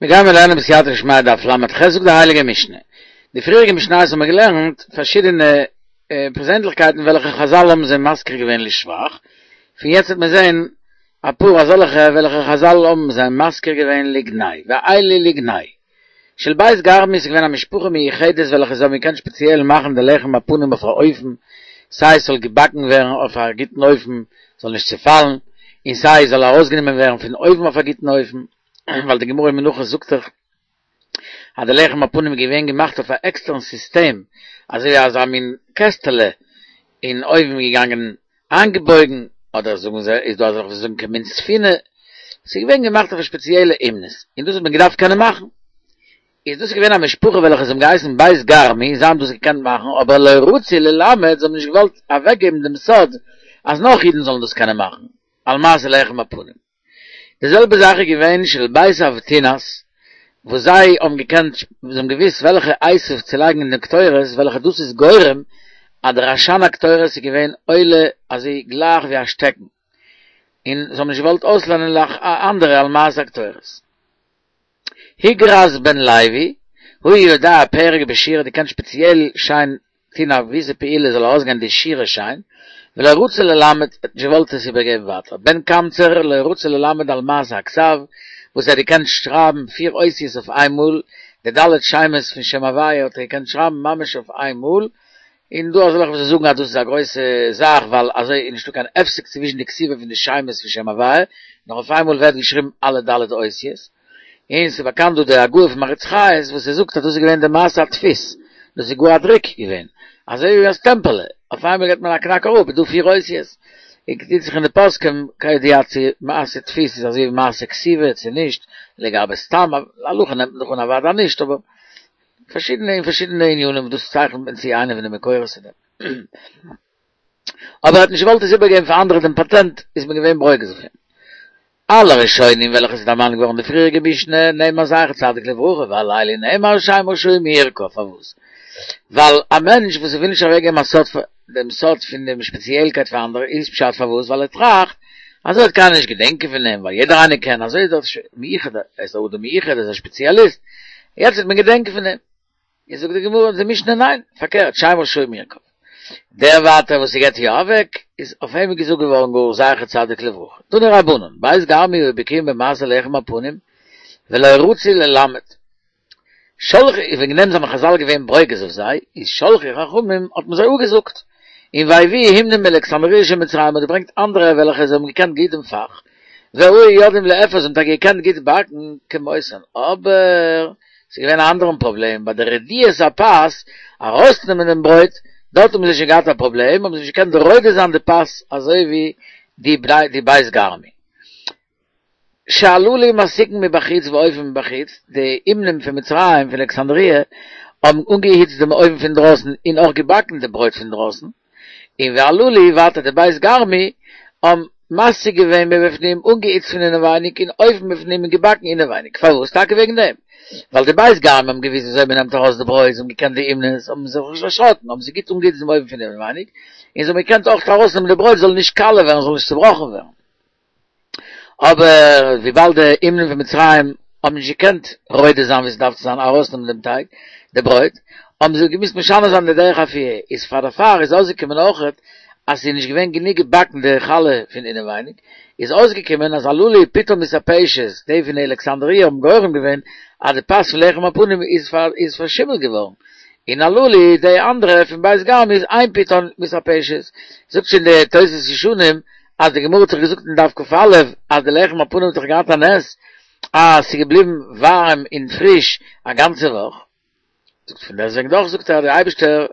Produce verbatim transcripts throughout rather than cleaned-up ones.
מיר גיימער לערנען בסייעתא דשמיא דף ל"ח זאגט די הייליגע משנה. די פריעריגע משניות האבן מיר געלערנט פארשידענע פערזענליכקייטן וועלכע חזל האבן זיי מזכיר געווען לשבח, פון יעצט וועט מען זען אפאר אזעלכע וועלכע חזל האבן זיי מזכיר געווען לגנאי, ואלו לגנאי. של בית גרמי איז געווען א משפחה מיוחדת וועלכע זיי האבן געקענט שפעציעל מאכן די לחם הפנים אויף א אופן סיי עס זאל געבאקן ווערן אויף א גוטן אופן זאל נישט צעפאלן, און סיי עס זאל ארויסגענומען ווערן פון אויוון אויף א גוטן אופן. ווייל די גמרא אין מנחות זאגט דאך אז די לחם הפנים איז געווען געמאכט אויף א עקסטערן סיסטעם, אזוי ווי אזא מין קעסטעלע אין אויוון געגאנגען איינגעבויגן, אדער זאגן זיי איז דא אזעלכע וואס זאגן כמין ספינה, ס'איז געווען געמאכט אויף א שפעציעלע אומנות, און דאס האט מען געדארפט קענען מאכן. איז דאס געווען א משפחה וועלכע זיי האבן געהייסן בית גרמי, זיי האבן דאס געקענט מאכן, אבער לא רצו ללמד, זיי האבן נישט געוואלט אוועקגעבן דעם סוד אז נאך אידן זאלן דאס קענען מאכן, על מעשה לחם הפנים. די זעלבע זאך איז געווען של בית אבטינס וואס זיי האבן געקענט, זיי האבן געוואוסט וועלכע עשב צו לייגן אין די קטורת וועלכע דאס איז גורם אז דער עשן הקטורת איז געווען עולה אזוי גלייך ווי א שטעקן, און זיי האבן נישט געוואלט אויסלערנען אנדערע על מעשה הקטורת. הגרז בן לוי, הוא יודע פרק בשירה, דער קען שפעציעל שיין טון א געוויסע פעולה זאל ארויסגיין די שירה שיין, ולא רצה ללמד, ער האט נישט געוואלט עס איבערגעבן ווייטער, בן קמצר לא רצה ללמד על מעשה הכתב, וואס ער האט געקענט שרייבן פיר אותיות אויף איין מאל, די ד' שמות פון שם הוויה האט ער געקענט שרייבן ממש אויף איין מאל, און דא אזעלכע וואס זאגן אז דאס איז א גרויסע זאך ווייל אזוי איז נישטא קיין הפסק צווישן די כתיבה פון די שמות פון שם הוויה, נאר אויף איין מאל ווערט געשריבן אלע ד' אותיות. און ס'איז באקאנט דא די הגהה פון מהר"ץ חיות וואס ער זאגט אז דאס איז געווען די מעשה הדפוס, דאס איז גאר א דרוק געווען, אזוי ווי א סטעמפעלע, אויף איינמאל געט מען א קנאק אראפ איז דא פיר אותיות, און טוט זיך אין די פוסקים כידוע צו מעשה דפוס איז אזוי ווי מעשה כתיבה צו נישט, לגבי סתם להלכה נעמט מען דאך אן אוודאי נישט אבער פארשידענע אין פארשידענע ענינים דאס צייכנט מען צו איינע פון די מקורות אין דעם. אבער ער האט נישט געוואלט עס איבערגעבן פאר אנדערע דעם פאטענט איז מען געווען ברוגז אויף אים. על הראשונים וועלכע איז דערמאנט געווארן די פריעריגע משנה נאמר זכר צדיק לברכה ועל אלו נאמר שם רשעים ירקב פארוואס? ווייל א מענטש וואס וויל נישט אוועקגעבן א סוד דעם סוד פון דעם שפעציעלקייט פאר אנדערע איז פשט פארוואס ווייל ער טראכט אזוי וועט קיינער נישט געדענקען פון אים ווייל יעדער איינער קען אזוי איז דאך מיוחד ער איז א אדם מיוחד ער איז א שפעציאליסט יעצט וועט מען געדענקען פון אים. איז זאגט די גמרא די משנה ניין, פארקערט שם רשעים ירקב. דער ווייטער וואס ס'געט יא אוועק, איז אויף אים געזאגט געווארן גאר זכר צדיק לברכה. תנו רבנן, בית גרמו היו בקיאים במעשה לחם הפנים, ולא רצו ללמד. שלחו, וועגן דעם זענען חזל געווען ברוגז אויף זיי, איז שלחו חכמים האט מען זיי אפגעזאגט, און והביאו אומנים מאלכסנדריה של מצרים האט געברענגט אנדערע וועלכע זיי האבן געקענט גוט דעם פאך, והיו יודעים לאפות זיי האבן טאקע געקענט גוט באקן כמותן, אבער ס'איז געווען א אנדערן פראבלעם, ביי די רדיית הפת, ארויסנעמען דעם ברויט, דארט האבן זיי שוין געהאט א פראבלעם, האבן זיי נישט געקענט רודה זיין די פת אזוי ווי די די בית גרמו. שהללו מסיקין מבחוץ ואופין מבחוץ, די אומנים פון מצרים פון אלכסנדריה האבן אנגעהיצט דעם אויוון פון דרויסן און אויך געבאקן די ברויט פון דרויסן, און והללו ווייטער די בית גרמו האבן מסיק געווען מבפנים אנגעהיצט פון אינעווייניג און אופין מבפנים און געבאקן אינעווייניג, פארוואס? טאקע וועגן דעם ווייל די בית גרמו האבן געוואוסט וויאזוי מען נעמט ארויס די ברויט, זיי האבן געקענט די אומנות, האבן זיך נישט דערשראקן, האבן זיי גוט אנגעהיצט דעם אויוון פון אינעווייניג, און זיי האבן געקענט אויך ארויסנעמען די ברויט זאל נישט קאלע ווערן, זאל נישט צובראכן ווערן. אבער וויבאלד די אומנים פון מצרים האבן נישט געקענט רודה זיין ווי ס'דארף צו זיין ארויסנעמען דעם טייג, די ברויט, האבן זיי געמוזט משנה זיין די דרך אפייה, איז פאר דערפאר איז אויסגעקומען אויכעט אז ס'איז נישט געווען גענוג געבאקן די חלה פון אינעווייניג, איז אויסגעקומען אז הללו פיתן מתעפשת, די פון אלכסנדריה האבן גורם געווען אז די פת פון לחם הפנים איז פארשימלט געווארן, און הללו די אנדערע פון בית גרמו איז אין פיתן מתעפשת, זאגט שוין די תוס' ישנים אז די גמרא האט דאך געזאגט אין דף כ"א אז די לחם הפנים האט דאך געהאט א נס אז ס'איז געבליבן ווארעם און פריש א גאנצע וואך, זאגט פון דעסטוועגן דאך זאגט ער אז דער אייבערשטער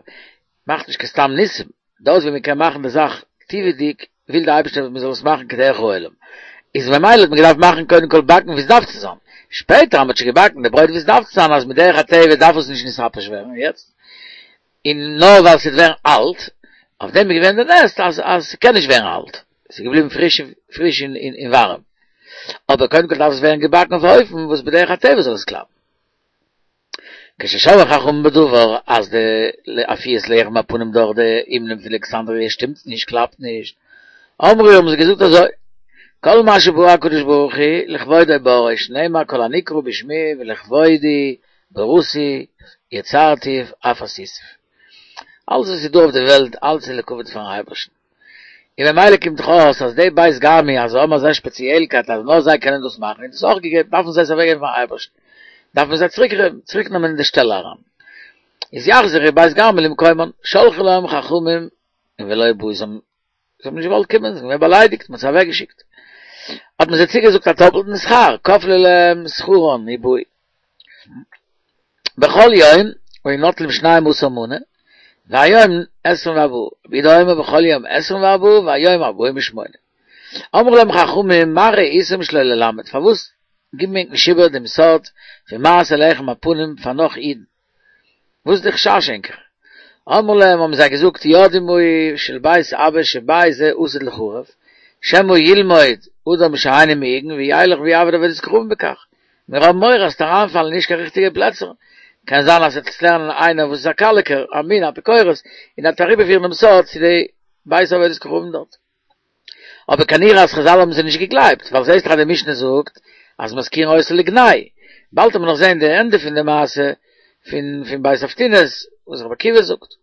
מאכט נישט קיין סתם ניסים, דארט ווי מען קען מאכן די זאך טבעי'דיג וויל דער אייבערשטער מען זאל עס מאכן כדרך העולם, איז ממילא האט מען געדארפט מאכן קודם כל באקן ווי עס דארף צו זיין, שפעטער אז מען האט שוין געבאקן די ברויט ווי עס דארף צו זיין אז מדרך הטבע דארף עס נישט נתעפש ווערן יעצט, און נאר ווייל ס'וועט ווערן אלט, אויף דעם איז געווען די נס אז אז ס'קען נישט ווערן אלט, ס'איז געבליבן פריש פריש און און ווארעם, אבער קודם כל דארף עס ווערן געבאקן אויף א אופן וואס בדרך הטבע זאל עס קלאפן. כששמעו חכמים בדבר אז די אפיית לחם הפנים דורך די אומנים פון אלכסנדריה שטימט נישט, קלאפט נישט, אמרו האבן זיי געזאגט אזוי, כל מה שברא הקדוש ברוך הוא לכבודו בראו, שנאמר כל הנקרא בשמי ולכבודי בראתי יצרתיו אף עשיתיו. אלץ וואס איז דא אויף די וועלט, אלץ איז לכבוד פארן אייבערשטן. און ממילא קומט דאך אויס אז די בית גרמי אז זיי האבן אזא שפעציעלקייט אז נאר זיי קענען דאס מאכן, און דאס אויך געגעבן, דארפן זיי עס אוועקגעבן פארן אייבערשטן. דארף מען זיי צוריק צוריק נעמען אין די שטעלע אריין. איז יחזרו בית גרמי למקומן, שלחו להם חכמים און ולא באו, זיי האבן נישט געוואלט קומען, זיי זענען געווען באליידיגט, מען האט זיי אוועקגעשיקט. האט מען זיי צוגעזאגט א טאפלטן שכר, כפלו להם שכרן ובאו. בכל יום היו נוטלים שנים עשר מנה, והיום עשרים וארבעה, רבי יהודה אומר בכל יום עשרים וארבעה והיום ארבעים ושמונה. אמרו להם חכמים מה ראיתם שלא ללמד, פארוואס גיבן ענק נישט איבער דעם סוד פון מעשה לחם הפנים פאר נאך אידן? וואס איז די חשש ענקער? אמרו להם האבן זיי געזאגט יודעים היו של בית אבא שבית זה עתיד ליחרב, שמא ילמוד אדם שאינו מהוגן וילך ויעבוד עבודת כוכבים בכך, מיר האבן מורא אז ס'וועט אריינפאלן אין נישט קיין ריכטיגע פלעצער, קען זיין אז ס'וועט עס לערנען איינער וואס איז א קאליקער, א מין אפיקורס, און ער וועט אריבערפירן דעם סוד צו די בית עבודת כוכבים דארט. אבער כנראה אז חזל האבן זיי נישט געגלייבט, ווייל זעהסט דאך אז די משנה זאגט אז מזכירין אותו לגנאי. באלד וועט מען נאך זעהן די ענדע פון די מעשה פון פון בית אבטינס וואס רבי עקיבא זאגט.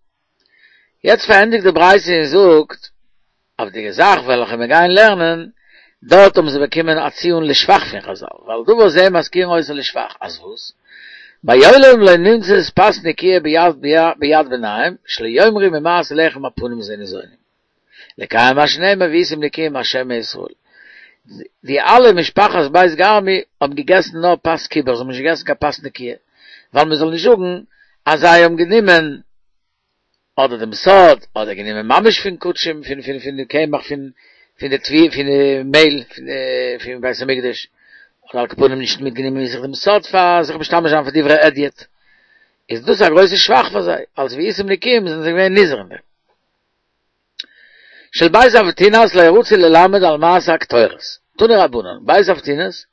יעצט פארענדיגט די ברייתא און זאגט אויף די זאך וועלכע מיר גייען לערנען, דארט האבן זיי באקומען א ציון לשבח פון חזל, ועל דבר זה מזכירין אותו לשבח, אז וואס? מעולם לא נמצאת פת נקיה ביד ביד בניהם, שלא יאמרו ממעשה לחם הפנים זה ניזונים. לקיים מה שנאמר והייתם נקיים מהשם ומישראל. די אלע משפחת בית גרמי האבן געגעסן נאר פת קיבר, זיי האבן נישט געגעסן קיין פת נקיה, ווייל מען זאל נישט זאגן אז זיי האבן גענומען אדער דעם סוד, אדער גענומען ממש פון קדשים, פון פון פון די קמח פון פון די תבואה פון די מעהל פון די פון בית המקדש, אדער על כל פנים נישט מיטגענומען מיט זיך דעם סוד פאר זיך משתמש זיין פאר דברי הדיוט, איז דאס א גרויסע שבח פאר זיי, אלס והייתם נקיים זענען זיי געווען נזהר אין דעם. של בית אבטינס לא רצו ללמד על מעשה הקטורת. תנו רבנן, בית אבטינס,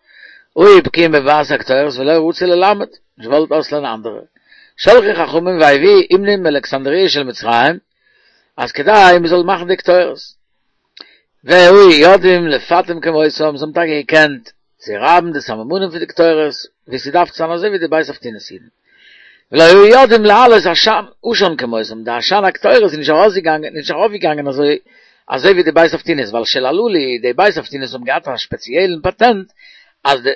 היו בקיאים במעשה הקטורת ולא רצו ללמד, נישט געוואלט אויסלערנען אנדערע. שלחו חכמים והביאו אומנים מאלכסנדריה של מצרים, אז כדי מען זאל מאכן די קטורת. והיו יודעים לפטם כמותם, זיי האבן טאקע געקענט צו רייבן די סממנים פון די קטורת, ווי ס'דארף צו זיין אזוי ווי די בית אבטינס אידן. ולא היו יודעים להעלות עשן עשן כמותם, די עשן הקטורת איז נישט ארויסגעגאנגען, נישט ארויפגעגאנגען אזוי אזוי ווי די בית אבטינס, ווייל של הללו, די בית אבטינס האבן געהאט א שפעציעלן פאטענט אז די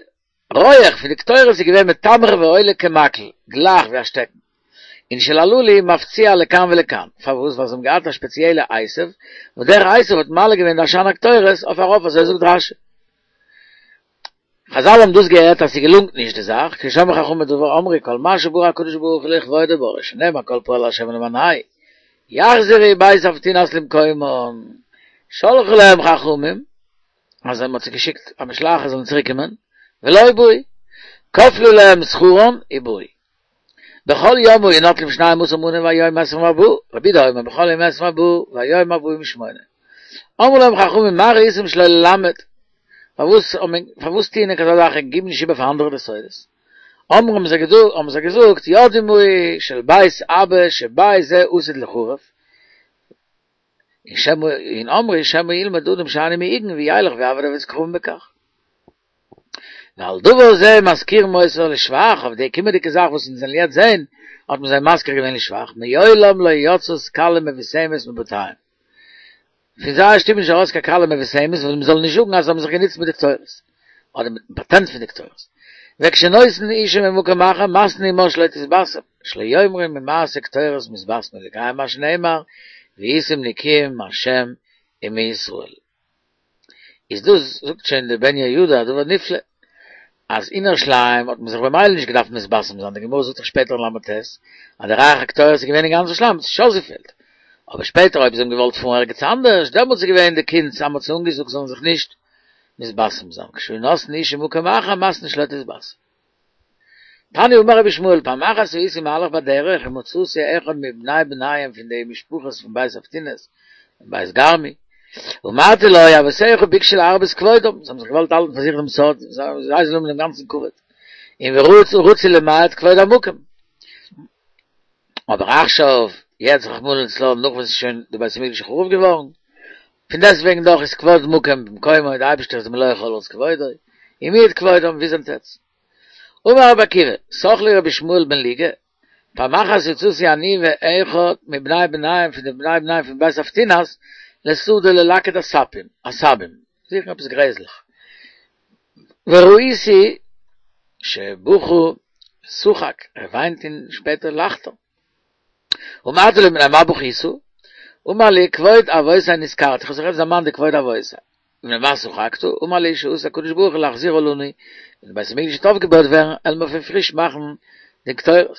רויעך פון די קטורת איז געווען מתמר ועולה כמקל, גלייך ווי א שטעקן. און של הללו מפציע לכאן ולכאן, פארוואס? ווייל זיי האבן געהאט א שפעציעלע עשב, וואס דער עשב האט מעלה געווען די עשן הקטורת אויף ארויף, אזוי זאגט רשי. חזל האבן דאס געהערט אז ס'געלונגט נישט די זאך, כששמעו חכמים בדבר אמרו כל מה שברא הקדוש ברוך הוא לכבודו ברא שנאמר כל פועל השם למענהו יחזרו בית אבטינס למקומם שלחו להם חכמים אז מען האט זיי געשיקט א משלחת זאלן צוריק קומען ולא באו כפלו להם שכרן ובאו בכל יום היו נוטלים שנים עשר מנה והיום עשרים וארבעה רבי יהודה אומר בכל יום עשרים וארבעה והיום ארבעים ושמונה אמרו להם חכמים מה ראיתם שלא ללמד פארוואס פארוואס טוען ענק אזא זאך און גיבן נישט איבער פאר אנדערע די סודות? אמרו האבן זיי געזאגט האבן זיי געזאגט יודעים היו של בית אבא שבית זה עתיד ליחרב און שמא און אמרו שמא ילמד אדם שאינו מהוגן וילך ויעבוד עבודת כוכבים בכך. ועל דבר זה מזכירין אותו לשבח, אויף די קומענדיגע זאך וואס אונז וועלן יעצט זען, האט מען זיי מזכיר געווען לשבח, מעולם לא יצאת כלה מבושמת מבתיהם. פון זייער שטוב איז נישט ארויס קיין כלה מבושמת ווייל מ'זאל נישט זאגן אז זיי האבן זיך גענוצט מיט די קטורת, אדער מיטן פאטענט פון די קטורת. וכשנושאין אשה ממקום אחר מתנין עמה שלא תתבשם, שלא יאמרו ממעשה קטורת מתבשמים לקיים מה שנאמר והייתם נקיים מהשם ומישראל. איז דאס זאגט שוין דער בן יהוידע א דבר נפלא, אז אין ירושלים האט מען זיך במילא נישט געדארפט מתבשם זיין, די גמרא זאגט דאך שפעטער אין ל"ט אז די ריח הקטורת איז געווען אין גאנץ ירושלים, האט זיך נישט אויסגעפעלט. אבער שפעטער אויב זיי האבן געוואלט פארן ערגעץ אנדערש, דעמאלטס איז געווען די קונץ אז מען האט זיי אנגעזאגט זאלן זיך נישט מתבשם זיין, כשהיו נושאין אשה ממקום אחר מתנין שלא תתבשם. תניא אמר רבי ישמעאל, פעם אחת הייתי מהלך בדרך ומצאתי אחד מבני בניהם פון די משפחות פון בית אבטינס און בית גרמי, אמרתי לו, אבותיך ביקשו להרבות כבודם, זיי האבן זיך געוואלט האלטן פאר זיך דעם סוד, זיי זאלן האבן דעם גאנצן כבוד, און ורצו למעט כבוד המקום. אבער עכשיו, יעצט רחמנא לצלן, נאך וואס איז שוין די בית המקדש חרוב געווארן, פון דעסטוועגן דאך איז כבוד מקום במקומו, דער אייבערשטער איז מלא כל הארץ כבודו, ומיעט כבודם, ווי זענט עטץ? אמר רבי עקיבא, סח לי רבי ישמעאל בן לוגא, פעם אחת יצאתי אני ואחד מבני בניהם פון די בני בניהם פון בית אבטינס לשדה ללקט עשבים, עשבים, זוכן עפעס גרעזלעך, וראיתי שבכה ושחק, ער וויינט און שפעטער לאכט ער. אמרתי לו מפני מה בכית? אמר לי כבוד אבותי נזכרתי, איך האב זיך עפעס דערמאנט די כבוד אבותי. ומפני מה שחקת? אמר לי שעתיד הקדוש ברוך הוא להחזירה לנו, ווען די בית המקדש וועט אויפגעבויט ווערן, עלן מיר פון פריש מאכן די קטורת.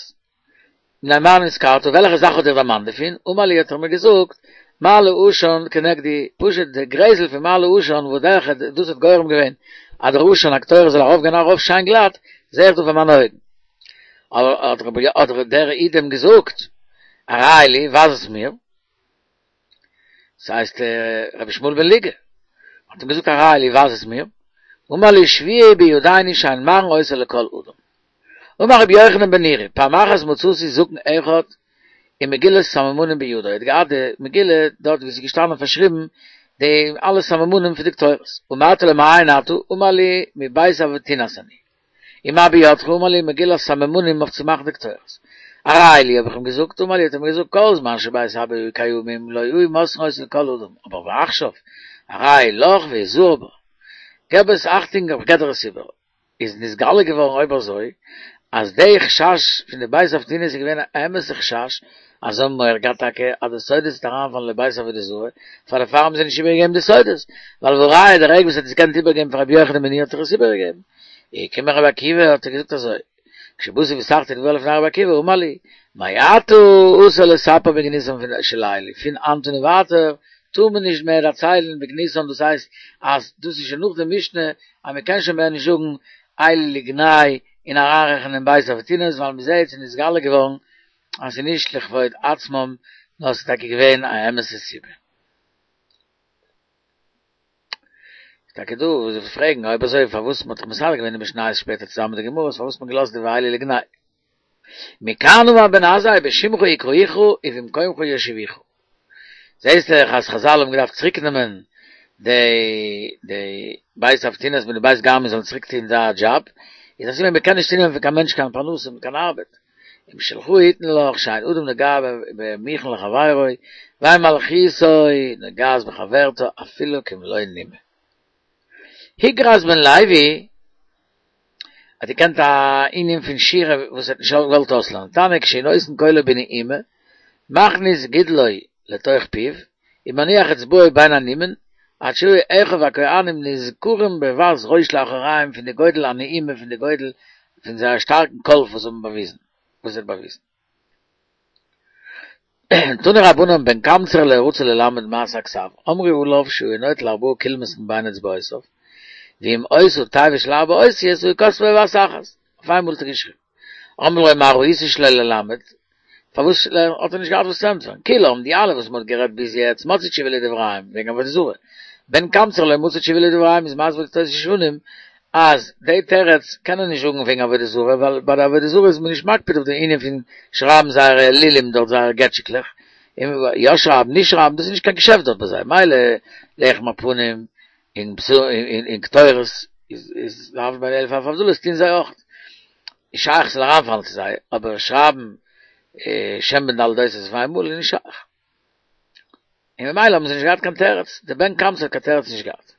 מפני מה נזכרת? וועלכע זאך האט דיך דערמאנט דערפון? אמר לי האט ער מיר געזאגט, מעלה עשן כנגדי, פשוט די גרעזל פון מעלה עשן וואס דער דאס האט גורם געווען אז דער עשן הקטורת זאל ארויפגיין ארויף שיין גלאט, זע איך דא פאר מיינע אויגן. אבער האט רבי האט דער איד אים געזאגט, הראהו לי, ווייז עס מיר. ס'הייסט רבי ישמעאל בן לוגא האט אים געזאגט הראהו לי, ווייז עס מיר. אמר לי שבועה בידינו שאין מראין אותה לכל אדם. אמר רבי יוחנן בן נורי, פעם אחת מצאתי זקן אחד עם מגילת סממנים בידו, ער האט געהאט די מגילה דארט ווי ס'איז געשטאנען פארשריבן די אלע סממנים פון די קטורת, אמרתי לו מאין אתה? אמר לי מבית אבטינס אני. ומה בידך? אמר לי מגילת סממנים אויף צו מאכן די קטורת. הראהו לי האב איך אים געזאגט, אמר לי האט ער מיר געזאגט כל זמן שבית אבא היו קיימים לא היו מוסרין אותה לכל אדם, אבער ועכשיו הרי היא לך והזהר בה, געב עס אכטונג איך געב דיר עס איבער. איז נתגלה געווארן אויב אזוי אז די חשש פון די בית אבטינס איז געווען א אמת'ע חשש אז זיי האבן מורא געהאט טאקע אז די סודות וועט אריינפאלן לבית עבודה זרה, פאר דערפאר האבן זיי נישט איבערגעגעבן די סודות, ווייל והראיה די רגע וואס ער האט עס געקענט איבערגעבן פאר רבי יוחנן בן נורי האט ער עס איבערגעגעבן. איז געקומען רבי עקיבא האט ער געזאגט אזוי, כשבאתי וסחתי דברי לפני רבי עקיבא אמר לי, מעתה אסור לספר בגנותן פון של אלו, פון היינט און ווייטער טאר מען נישט מער דערציילן בגנותן דאס הייסט אז דאס איז שוין נאך די משנה אז מען קען שוין מער נישט זאגן אלו לגנאי און אריינרעכענען בית אבטינס ווייל מען זעט ס'איז נתגלה געווארן אז ס'איז נישט לכבוד עצמם נאר ס'איז טאקע געווען א אמת'ע סיבה. איז טאקע דא וואס זיך פרעגן אויב אזוי פארוואס מ'האט דאך מסדר געווען די משניות שפעטער צוזאמען מיט די גמרות פארוואס האט מען געלאזט די ואלו לגנאי. מכאן אמר בן עזאי בשמך יקראוך ובמקומך יושיבוך. זעהסט דאך אז חזל האבן געדארפט צוריק נעמען די די בית אבטינס מיט די בית גרמו זאלן צוריק טוהן זייער דזשאב, איז א סימן מ'קען נישט צונעמען פון קיין מענטש קיין פרנסה און קיין ארבעט. אם שלך יתנו לך שאין אדם נוגע במוכן לחבירו ואין מלכותו נוגעת בחברתה אפילו כמלא נימא. הוגרס בן לוי האט געקענט א ענין פון שירה וואס ער האט נישט געוואלט אויסלערנען, תניא כשהוא נותן קולו בנעימה מכניס גודלו לתוך פיו ומניח אצבעו בין הנימין עד שהיו אחיו הכהנים נזכרים בבז ראש לאחוריהם פון די גודל הנעימה פון די גודל פון זייער שטארקן קול וואס זיי האבן באוויזן וואס ער האט באוויזן. תנו רבנן בן קמצר לא רצה ללמד מעשה הכתב אמרו עליו שהוא נוטל ארבעה קולמוסין בין אצבעותיו ואם היתה תיבה של ארבע אותיות היה כותבה בבת אחת אויף איינמאל האט ער געשריבן אמרו לו מה ראית שלא ללמד פארוואס האט ער נישט געהאט וואס צו ענטפערן כולם די אלע וואס מען האט גערעדט ביז יעצט מצאו תשובה לדבריהם וועגן עבודה זרה בן קמצר לא מצא תשובה לדבריהם איז מסביר די תוס' ישנים אז די תירוץ קען ער נישט זאגן וועגן עבודה זרה ווייל ביי די עבודה זרה איז מען נישט מקפיד אויף די ענין פון שרייבן זייערע אלילים דארט זייערע געטשיקלעך און יא שרייבן נישט שרייבן דאס איז נישט קיין געשעפט דארט ביי זיי מילא לחם הפנים און און קטורת איז איז להבדיל בין אלף אלפי הבדלות טוהן זיי אויך איז שייך ס'זאל אריינפאלן צו זיי אבער שרייבן שם בן ד' אותיות אויף איינמאל איז נישט שייך און ממילא האבן זיי נישט געהאט קיין תירוץ די בן קמצר האט קיין תירוץ נישט געהאט.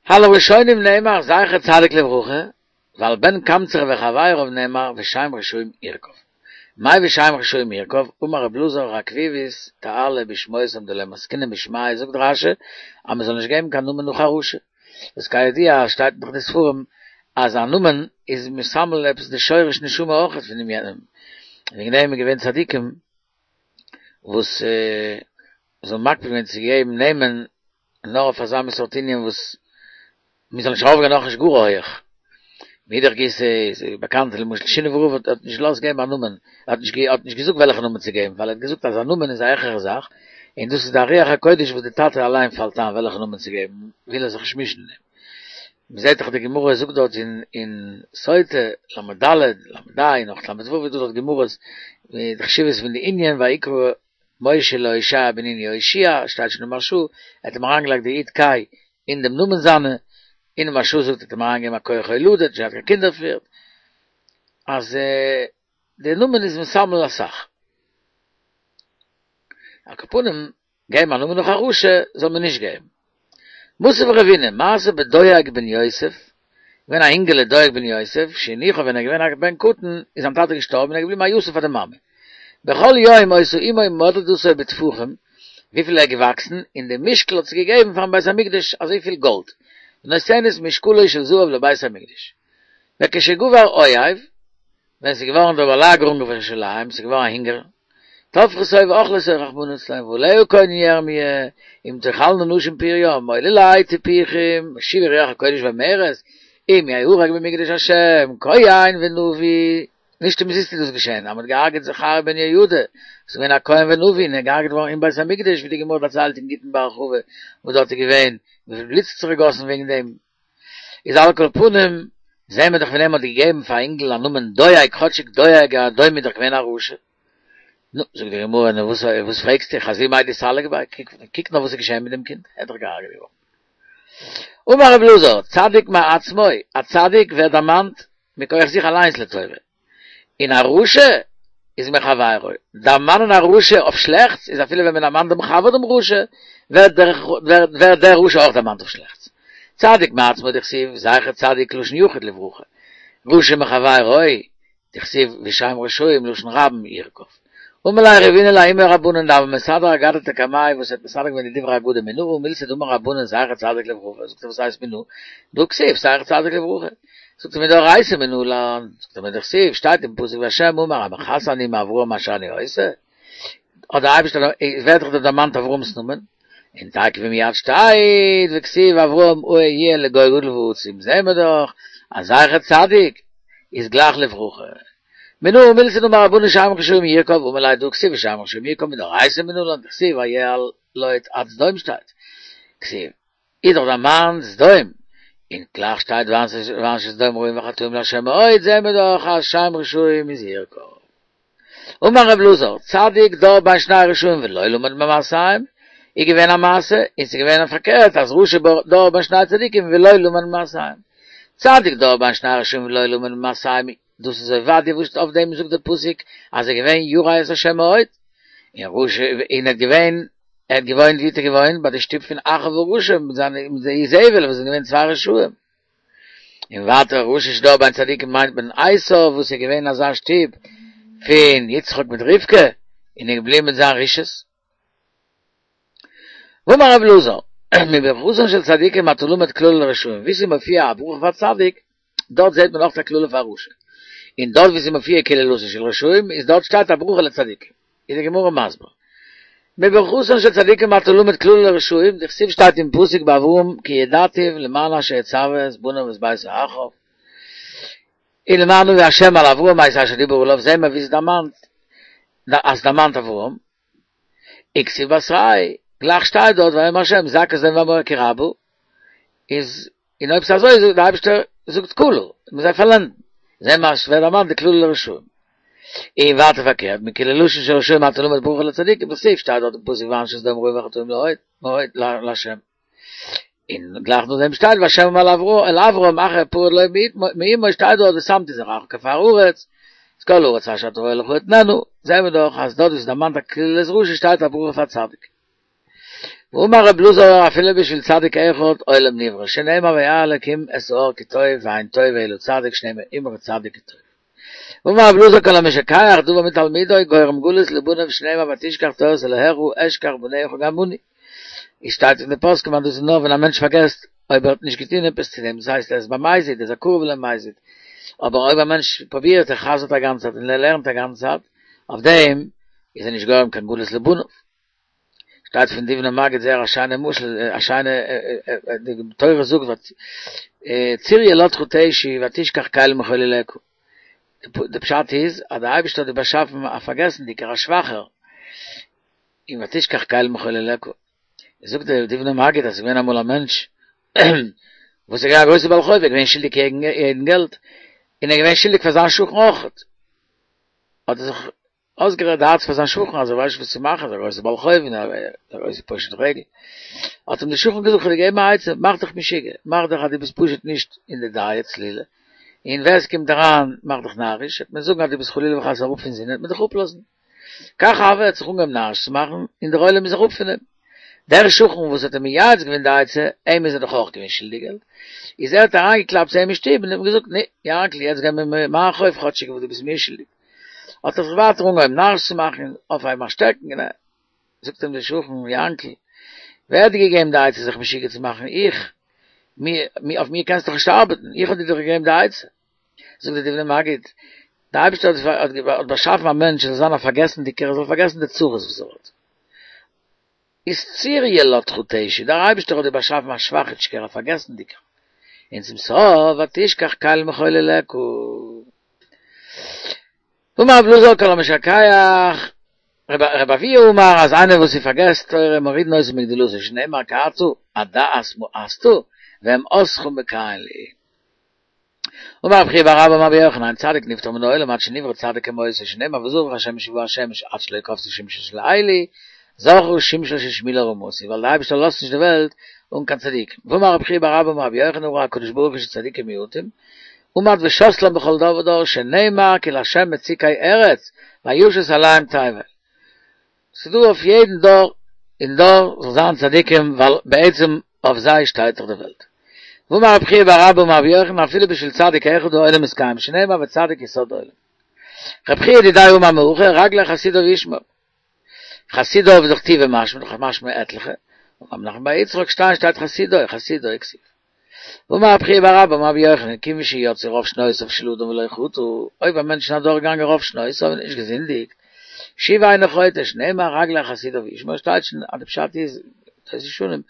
על הראשונים נאמר זכר צדיק לברכה, ועל בן קמצר וחביריו נאמר ושם רשעים ירקב. מאי ושם רשעים ירקב, אמר רב אלעזר רקביבית תעלא בשמותם דלא מסקינן בשמייהו זאגט רשי אז מען זאל נישט געבן קיין נאמען נאך א רשע, וואס כידוע שטייט נאך אין די ספרים אז א נאמען איז מסמל עפעס די שורש נשמה אויכעט פונעם יענעם, וועגן דעם איז געווען צדיקים וואס זיי האבן מקפיד געווען צו געבן נעמען נאר אויף אזא מין סארט ענין וואס מען זאל נישט ארויפגיין נאכנישט גאר הויעך. מאידך גיסא איז באקאנט למשל שינאווער רב האט האט נישט געלאזט געבן א נאמען, ער האט נישט האט נישט געזאגט וועלכע נאמען צו געבן, ווייל ער האט געזאגט אז א נאמען איז א העכערע זאך, און דאס איז די רוח הקודש וואס די טאטע אליין פאלט איין וועלכע נאמען צו געבן, וויל ער זיך נישט מישן אין דעם. מען זעט דאך די גמרא זאגט דארט אין אין סוטה, ל"ד, ל"ה, נאך ל"ו איז דא דארט גמרות מיט די חשיבות פון די ענין ויקרא משה להושע בן נון יהושע, שטייט שוין אין מהרש"א, ער האט אים אריינגעלייגט די יוד קיי אין דעם נאמען זיינע, און מהרש"א זאגט ער האט אים אריינגעגעבן א כח הולדה, נישט געהאט קיין קינדער פריער, אז דער נאמען איז מסמל אסאך. על כל פנים, געבן א נאמען נאך א רשע זאל מען נישט געבן. מתיב רבינא, מעשה בדואג בן יוסף, געווען א אינגעלע דואג בן יוסף, שהניחו ווען ער איז געווען א בן קטן, איז זיין טאטע געשטארבן און ער איז געבליבן א יתום פאר די מאמע. בכל יום היתה אמו מודדתו בטפחים, וויפיל ער איז געוואקסן, און די משקל האט זי געגעבן פארן בית המקדש אזויפיל גאלד, ונותנת משקלו של זהב לבית המקדש. וכשגבר אויב, ווען ס'איז געווארן די באלאגערונג אויף ירושלים, ס'איז געווארן א הונגער, טבחו אותו ואכלו אותו רחמנא ליצלן, ועליה קונן ירמי', אם תאכלנה נשים פרים, עוללי טיפוחים, משיבה רוח הקודש ואומרת, אם יהרג במקדש השם, כהן ונביא, נישט אומזיסט איז דאס געשען, אז מ'האט געהארגעט זכריה בן יהוידע, וואס איז געווען א כהן ונביא, און ער איז געהארגעט געווארן אין בית המקדש, ווי די גמרא דערציילט אין גיטין בהרחבה, וואס דארט איז געווען, וויפיל בלוט ס'האט זיך געגאסן וועגן דעם. איז על כל פנים, זעהן מיר דאך פון דעם מ'האט געגעבן פאר א אינגל א נאמען דואג, כאטשיג דואג האדומי איז דאך געווען א רשע. נו, זאגט די גמרא, נו וואס וואס פרעגסטו, חזי מאי דאיסלק ביה, קוק נאר וואס איז געשען מיט דעם קינד, ער איז דאך געהארגעט געווארן. אמר רב אלעזר, צדיק מעצמו, א צדיק ווערט דערמאנט מכח זיך אליינס לטובה, און א רשע איז מחבירו, דערמאנען א רשע אויף שלעכטס איז אפילו ווען מען דערמאנט דעם חבר דעם רשע, ווערט דער דער רשע אויך דערמאנט אויף שלעכטס. צדיק מעצמו דכתיב זכר צדיק לשון יחיד לברכה, רשע מחבירו דכתיב ושם רשעים לשון רבים ירקב. אמר ליה רבינא לההוא מרבנן דהוה מסדר אגדתא קמיה וואס האט מסדר געווען די דברי אגדה מנא הא מילתא דאמור רבנן זכר צדיק לברכה זאגט ער וואס הייסט מנא דהא כתיב זכר צדיק לברכה זאגט ער מדאורייתא מנלן זאגט ער מדכתיב שטייט אין פסוק והשם אמר המכסה אני מאברהם אשר אני עושה האט דער אייבערשטער ווערט דאך דא דערמאנט אברהם'ס נאמען און תיכף ומיד שטייט וכתיב אברהם אהיה לגוי גדול ועצום זעהן מיר דאך אז זכר צדיק איז גלייך לברכה. מנא הא מילתא דאמור רבנן שם רשעים ירקב אמר ליה דהא כתיב ושם רשעים ירקב מדאורייתא מנלן דכתיב ויעל לוט עד סדום שטייט כתיב איז דאך דערמאנט סדום און גלייך שטייט ואנשי סדום רעים וחטאים לה' מאוד זעהן מיר דאך אז שם רשעים איז ירקב. אמר רב אלעזר, צדיק דר בין שני רשעים ולא למד ממעשיהם, איז געווען א מעשה, און ס'איז געווען פארקערט אז רשע דר בין שני צדיקים ולא למד ממעשיהם. צדיק דר בין שני רשעים ולא למד ממעשיהם, דאס איז עובדיה וואס אויף דעם זאגט דער פסוק אז ער איז געווען ירא את ה' מאוד, און רשע און ער האט געווען ער האט געוואוינט ווי האט ער געוואוינט ביי די שטוב פון אחאב הרשע מיט זיינע מיט די איזבל וואס זענען געווען צוויי רשעים. און ווייטער רשע שדר בין צדיקים מיינט מען עשו וואס איז געווען אזא שטוב פון יצחק מיט רבקה און איז געבליבן מיט זיין רשעות. ואמר רב אלעזר, מברכתן של צדיקים אתה למד קללה לרשעים, וואו ס'איז מופיע א ברכה פאר צדיק, דארט זעט מען אויך א קללה פאר רשע, און דארט וואו ס'איז מופיע קללתן של רשעים, איז דארט שטייט א ברכה לצדיקים. איז די גמרא מסביר, מברכתן של צדיקים אתה למד קללה לרשעים, דכתיב שטייט אין פסוק ביי אברהם כי ידעתיו למען אשר יצוה את בניו ואת ביתו אחריו, און למען הביא השם על אברהם את אשר דיבר אליו, זעהן מיר ווי ס'איז דערמאנט אז ס'דערמאנט אברהם, וכתיב בתריה, גלייך שטייט דארט ויאמר השם זכה את סדום ועמורה כי רבה, איז און אויב ס'איז אזוי זאגט די אייבערשטער זאגט כלה, מ'זאל זיי פארלענדן, זעהן מיר אז ס'ווערט דערמאנט די קללה לרשעים. און ווייטער פארקערט, מקללתן של רשעים אתה למד ברכה לצדיקים, דכתיב שטייט דארט אין פסוק ואנשי סדום רעים וחטאים מאוד מאוד לה'. און גלייך נאכדעם שטייט והשם אמר אל אברם אחרי הפרד לוט מעמו שטייט דארט ושמתי זרעך כעפר הארץ, את כל הארץ אשר אתה רואה לך אתננה, זעהן מיר דאך אז דארט וואו ס'איז דערמאנט א קללת רשע שטייט א ברכה פאר צדיק. ואמר רב אלעזר אפילו בשביל צדיק אחד עולם נברא שנאמר וירא אלקים את ההר כי טוב ואין טוב אלא צדיק שנאמר אמרי צדיק כי טוב. ואמר רב אלעזר כל המשכח דבר מתלמידו גורם גלות לבניו שנאמר ותשכח תורת אלהיך אשכח בניך גם אני. איז שטייט אין די פוסקים אז דאס איז נאר ווען א מענטש פארגעסט אויב ער האט נישט געטון עפעס צו דעם דאס הייסט ער איז במזיד ער איז א קרוב למזיד אבער אויב א מענטש פרובירט ער חזר'ט א גאנצע צייט און ער לערנט א גאנצע צייט אויף דעם איז ער נישט גורם קיין גלות לבניו. שטייט פון דובנער מגיד זייער א שיינע משל, א שיינע, די תורה זאגט צור ילדך תשי ותשכח קל מחוללך, די פשט איז אז די אייבערשטער האט דיר באשאפן א פארגעסנדיגער א שוואכער, און ותשכח קל מחוללך, זאגט די דובנער מגיד אז עס איז געווען אמאל א מענטש וואס איז געווען א גרויסער בעל חוב, ער איז געווען שולדיג יעדן געלט, און ער איז געווען שולדיג פאר זיין שכן אויכעט, האט ער זיך אויסגערעדט די הארץ פאר זיין שכן אז ער ווייסט נישט וואס צו מאכן, ער איז א גרויסער בעל חוב און א גרויסער פושט רגל. האט אים דער שכן געזאגט, כ'וועל דיר געבן א עצה, מאך דיך משוגע, מאך דיך אז דו ביסט פשוט נישט אין די דעה צלילה, און ווער עס קומט אריין מאך דיך נאריש, וועט מען זאגן אז דו ביסט חלילה וחס אראפ פון זינען, וועט מען דיך אפלאזן. כך הוה, ער האט זיך אנגעהויבן נאריש צו מאכן, און דער עולם איז אראפ פון אים. דער שכן וואס האט אים מייעץ געווען די עצה, אים איז ער דאך אויך געווען שולדיג געלט, איז ער האט אריינגעקלאפט צו אים אין שטוב און אים געזאגט, נו, יענקל, יעצט געב מיר מיין חוב כאטשיג וואס דו ביסט מיר שולדיג. האט ער זיך ווייטער אנגעהויבן נאריש צו מאכן, אויפהייבן א שטעקן, און ער, זאגט אים דער שכן, יענקל, ווער האט דיר געגעבן די עצה זיך משוגע צו מאכן? איך! מיר, אויף מיר קענסטו דאך נישט ארבעטן, איך האב דיר דאך געגעבן די עצה. זאגט דער דובנער מגיד, דער אייבערשטער האט האט באשאפן א מענטש ער זאל זיין א פארגעסנדיקער, ער זאל פארגעסן די צרות וואס ער האט. איז צור ילדך תשי, דער אייבערשטער האט דיר באשאפן א שוואכיטשקער, א פארגעסנדיקער, און צום סוף ותשכח קל מחוללך. אמר רב אלעזר כל המשכח, רבי אבהו אמר אז איינער וואס פארגעסט תורה מורידין אותו מגדולתו שנאמר כי אתה הדעת מאסת ואימאסך מקין לי. אמר רב חייא בר אבא אמר רבי יוחנן אין צדיק נפטר מן העולם עד שנברא צדיק כמותו שנאמר וזרח השמש ובא השמש עד שלא כבתה שמשו של עלי זרחה שמשו של שמואל הרמתי ווייל די אייבערשטער לאזט נישט די וועלט אן קיין צדיקים ואמר רב חייא בר אבא אמר רבי יוחנן ראה הקדוש ברוך הוא שצדיקים מועטים עמד ושתלם בכל דור ודור שנאמר כי לה' מצוקי ארץ וישת עליהם תבל ס'דא אויף יעדן דור און דור זאל זיין צדיקים ווייל בעצם אויף זיי שטייט דאך די וועלט. ואמר רב חייא בר אבא אמר רבי יוחנן אפילו בשביל צדיק אחד העולם מתקיים שנאמר וצדיק יסוד עולם. רב חייא דידיה אמר מהכא רגלי חסידיו ישמור. חסידיו איז דאך טובא משמע דאך משמע עטליכע. אמר רב נחמן בר יצחק שתיים שטייט חסידוי חסידוי כתיב. ואמר רב חייא בר אבא אמר רבי יוחנן כיוון שיצאו רוב שנותיו של אדם ולא חטא, אויב א מענטש איז אדורכגעגאנגען רוב שנותיו און נישט געזינדיגט, שוב אינו חוטא, שנאמר רגלי חסידיו ישמור, שטייט שוין אז די פשט איז, דאס איז שוין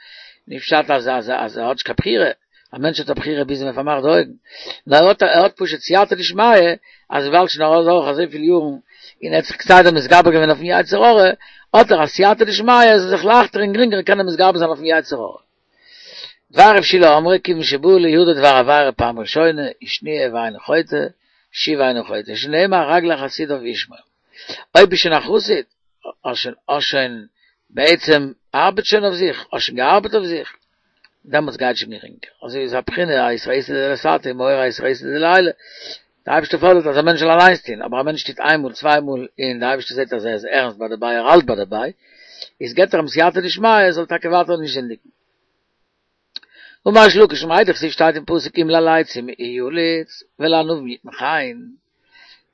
נישט פשט אז אז אז ער האט נישט קיין בחירה, א מענטש האט א בחירה ביז מען פארמאכט די אויגן, נאר ער האט ער האט פשוט סייעתא דשמיא, אז וויבאלד שוין אדורך אזויפיל יארן און ער האט זיך כסדר מתגבר געווען אויפן יצר הרע, האט ער א סייעתא דשמיא ער זאל זיך לייכטער און גרינגער קענען מתגבר זיין אויפן יצר הרע. דבר רב שילא אמרו כיוון שבא לידו דבר עבירה פעם ראשונה ושניה ואינו חוטא, שוב אינו חוטא, שנאמר רגלי חסידיו ישמור. אויב ביסט שוין א חסיד, האסט שוין האסט שוין בעצם ארבעט שוין אויף זיך, האסט שוין געארבעט אויף זיך, דעמאלטס גייט שוין גרינגער. אזוי איז א בחינה אתערותא דלתתא ומעורר אתערותא דלעילא. דער אייבערשטער פאדערט אז א מענטש זאל אליינס טון, אבער א מענטש טוט איין מאל צוויי מאל און דער אייבערשטער זעט אז ער איז ערנסט ביי דערביי, ער האלט ביי דערביי, איז געבט ער אים סייעתא דשמיא ער זאל טאקע ווייטער נישט זינדיגן. אמר ריש לקיש מאי דכתיב שטייט אין פסוק אם ללצים יליץ ולענווים יתן חן,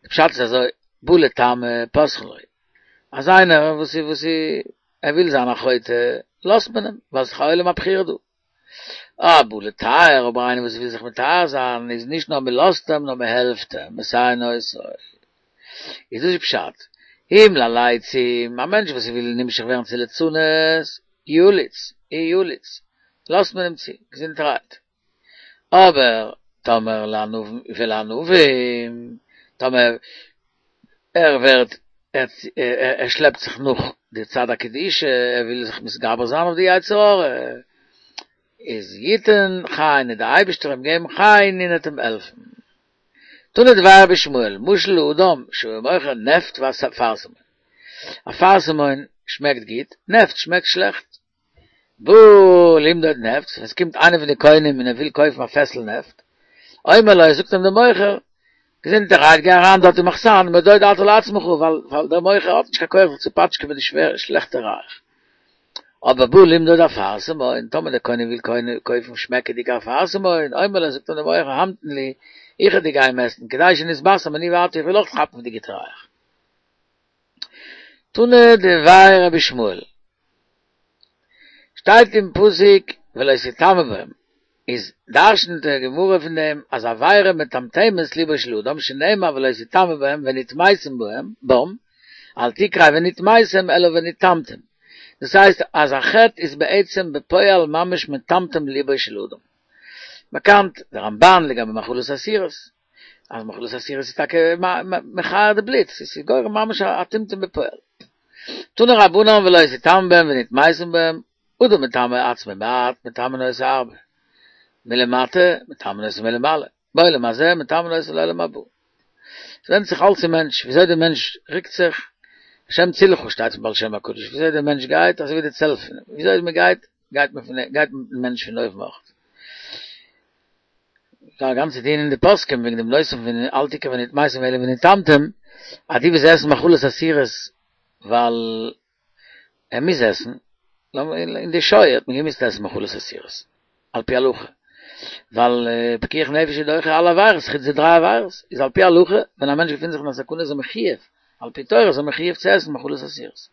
די פשט איז אזוי, בא לטמא פותחין לו, אז איינער וואס איז וואס איז ער וויל זיין א חוטא לאזט מען אים, ווייל ס'איז דאך א עולם הבחירה דא. אה, בא לטהר, אבער איינער וואס וויל זיך מטהר זיין איז נישט נאר מען לאזט אים נאר מען העלפט אים, מסייעין אותו. איז דאס איז פשט, אם ללצים, א מענטש וואס וויל נמשך ווערן צו ליצנות, יליץ, יליץ, לאזט מען אים צו, געזונטערהייט. אבער טאמער לענווים ולענווים, טאמער ער ווערט, ער שלעפט זיך נאך די צד הקדושה, ער וויל זיך מתגבר זיין אויף די יצר הרע, איז יתן חן, וועט דער אייבערשטער אים געבן חן און וועט אים העלפן. תנא דבי רבי ישמעאל, משל לאדם שהיה מוכר נפט ואפרסמון. אפרסמון שמעקט גוט, נפט שמעקט שלעכט. בא למדוד נפט, ווען עס קומט איינער פון די קונים און ער וויל קויפן א פעסל נפט, אומר לו, זאגט אים דער מוכר, געזונטערהייט, גיי אריין דארט אין מחסן, מדוד אתה לעצמך, ווייל דער מוכר האט נישט קיין כח זיך צו פאטשקען מיט די שווערע שלעכטע ריח. אבער בא למדוד אפרסמון, טאמער דער קונה וויל קויפן שמעקעדיגע אפרסמון, אומר לו, זאגט אים דער מוכר, המתן לי, איך וועל דיר גיין מעסטן, כדי שנתבשם אני ואתה, איך וויל אויך כאפן פון די גוטע ריח. תנא דבי רבי ישמעאל, שטייט אין פסוק ולא תטמא בם, איז דרש'נט די גמרא פון דעם אז עבירה מטמטמת ליבו של אדם שנאמר ולא תטמא בהם ונטמאתם בהם, בם, אל תקרי ונטמאתם אלא ונטמתם, דאס הייסט אז א חטא איז בעצם בפועל ממש מטמטם ליבו של אדם. באקאנט די רמבן לגבי מאכלות אסירות, אז מאכלות אסירות איז טאקע מכער די בלוט, ס'איז גורם ממש א טמטום בפועל. תנו רבנן ולא תטמא בהם ונטמאתם בהם, אדם מטמא עצמו מעט, מטמאין אותו הרבה. מלמטה, מטמאין אותו מלמעלה. בעולם הזה, מטמאין אותו לעולם הבא. ס'ווענדט זיך אלץ אין מענטש, וויאזוי דער מענטש רוקט זיך, השם צילך שטייט פון בעל שם הקדוש, וויאזוי דער מענטש גייט, אזוי ווי די צל פון אים, וויאזוי מען גייט, גייט מען פון גייט מיטן מענטש פון אויבן אויך. דא א גאנצע דיון אין די פוסקים וועגן דעם נושא פון אל תקרב ונטמאתם אלא ונטמתם, אז די וואס עסן מאכלות אסורות ווייל ער מוז עסן, אין די שואה האט מען געמוזט עסן מאכלות אסורות, על פי הלכה, ווייל פיקוח נפש איז דוחה אלע עבירות חוץ די דריי עבירות, איז על פי הלכה ווען א מענטש געפינט זיך אין א סכנה איז ער מחיוב, על פי תורה איז ער מחיוב צו עסן מאכלות אסורות.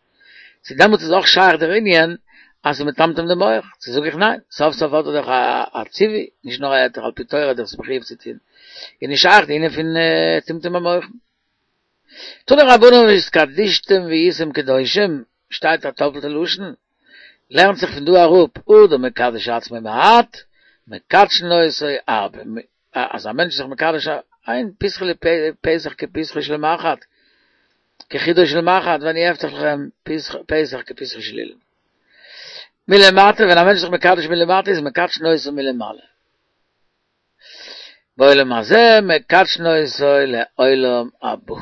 צו דעמאלטס איז אויך שייך דער ענין אז ס'איז מטמטם די מח, צו זאג איך ניין, סוף סוף האט ער דאך א ציווי, נישט נאר א היתר, על פי תורה איז דאך מחויב צו טון, איז נישט שייך די ענין פון טמטום המוחין. תנו רבנן והתקדשתם והייתם קדושים, שטייט א טאפלטע לשון, לערנט זיך פון דא אראפ, אדם מקדש עצמו מעט, מקדשין אותו הרבה, אז א מענטש איז זיך מקדש איין פתחו לי פתח כפתחו של מחט, כחודו של מחט, ואני אפתח לכם פתח כפתחו של אולם. מלמטה, ווען א מענטש איז זיך מקדש מלמטה איז מקדשין אותו מלמעלה. בעולם הזה מקדשין אותו לעולם הבא.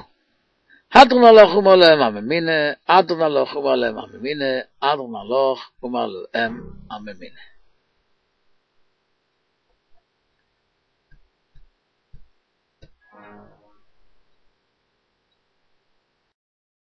הדרן עלך אמר להם הממונה, הדרן עלך אמר להם הממונה, הדרן עלך אמר להם הממונה.